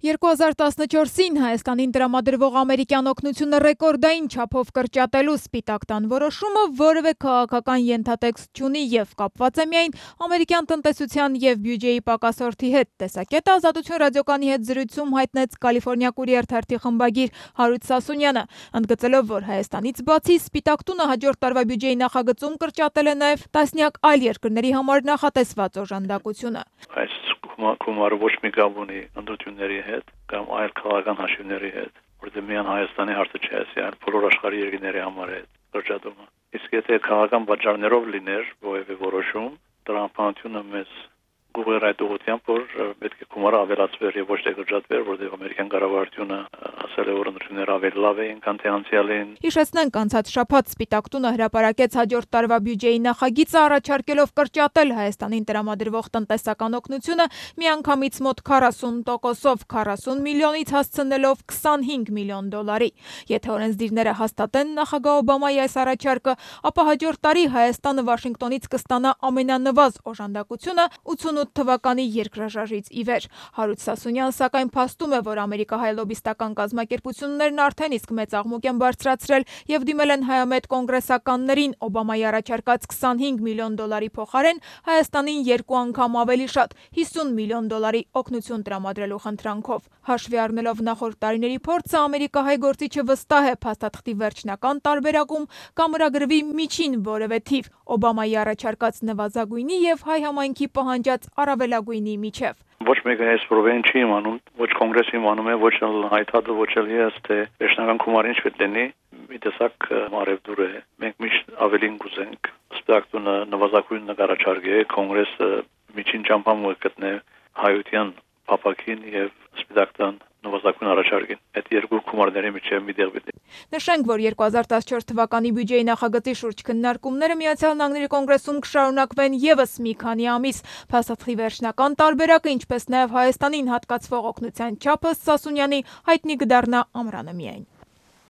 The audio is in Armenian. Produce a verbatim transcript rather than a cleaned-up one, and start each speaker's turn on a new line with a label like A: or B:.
A: երկու հազար տասնչորսին Հայաստանին տրամադրվող ամերիկյան օգնությունը ռեկորդային չափով կրճատելու Սպիտակ տան որոշումը որևէ քաղաքական ենթատեքստ չունի և կապված է միայն ամերիկյան տնտեսության և բյուջեի պակասորդի հետ։ Տեսակետը Ազատություն ռադիոկայանի հետ զրույցում հայտնեց Կալիֆորնիա Կուրիեր թերթի խմբագիր Հարութ Սասունյանը, ընդգծելով, որ Հայաստանից բացի Սպիտակ տունը հաջորդ տարվա բյուջեի նախագծում կրճատել է նաև տասնյակ այլ երկրների համար նախատեսված օժանդակությունը։
B: Այս գումարը ոչ մի կապ ունի ընտրությունների հետ կամ այլ քաղաքական հաշիվների հետ, որտեղ միայն Հայաստանի հարցը չէ, այլ բոլոր աշխարհի երկրների համար է կրճատումը։ Իսկ եթե քաղաքական պատճառներով լիներ որևէ որոշում, տրամաբանությունը մեզ գուղեր այդ ուղղությամբ, որ պետք է գումարը ավելացվեր եւ ոչ թե կրճատվեր, որտեղ ամերիկյան կառավարությունը ասել է, որ ընտրությունները ավելի լավ էին, քան թե անցյալին։
A: Հիշեցնենք, անցած շաբաթ Սպիտակ տունը հրապարակեց հաջորդ տարվա բյուջեի նախագիծը, առաջարկելով կրճատել Հայաստանին տրամադրվող տնտեսական օգնությունը միանգամից մոտ քառասուն տոկոսով, քառասուն միլիոնից հասցնելով քսանհինգ միլիոն դոլարի։ Եթե օրենսդիրները հաստատեն նախագահ Օբամայի այս առաջարկը, ապա հաջորդ տարի Հայաստանը Վաշինգտոնից կստանա ամենանվազ օժանդակությունը ութսունութ թվականի երկրաշարժից ի վեր։ Հարութ Սասունյանը սակայն փաստում է, որ ամերիկահայ լոբիստական կազմակերպություններն արդեն իսկ մեծ աղմուկ են բարձրացրել և դիմել են հայամետ կոնգրեսականներին Օբամայի առաջարկած քսանհինգ միլիոն դոլարի փոխարեն Հայաստանին երկու անգամ ավելի շատ հիսուն միլիոն դոլարի օգնություն տրամադրելու խնդրանքով։ Հաշվի առնելով նախորդ տարիների փորձը, ամերիկահայ գործիչը վստահ է փաստաթղթի վերջնական տարբերակում կամրագրվի միջին որևէ թիվ Օբամայի առաջարկած նվազագույնի և հայ համայնքի պահանջած առավելագույնի միջև։
B: Ոչ մեկը այս պրոբլեմին չի իմանում, ոչ կոնգրեսը իմանում է, ոչ հայտարարը, ոչ էլ ես, թե վերջնական գումարը ինչ պետք լինի, մի տեսակ մարևդուր է։ Մենք միշտ ավելին կուզենք, Սպիտակ տունը նվազագույն նկարաչարկի է, կոնգրեսը միջին ճամփան գտնե հայության փապակին եւ Սպիտակ տան նվազագույն առաջարկին։ Այդ երկու գումարների միջև մի տեղ պետք է։
A: Նշենք, որ երկու հազար տասնչորս թվականի բյուջեի նախագծի շուրջ քննարկումները Միացյալ Նահանգների կոնգրեսում կշարունակվեն եւս մի քանի ամիս։ Փաստաթղթի վերջնական տարբերակը, ինչպես նաև Հայաստանին հատկացվող օգնության չափը Սասունյանի հայտնի կդառնա ամռանը միայն։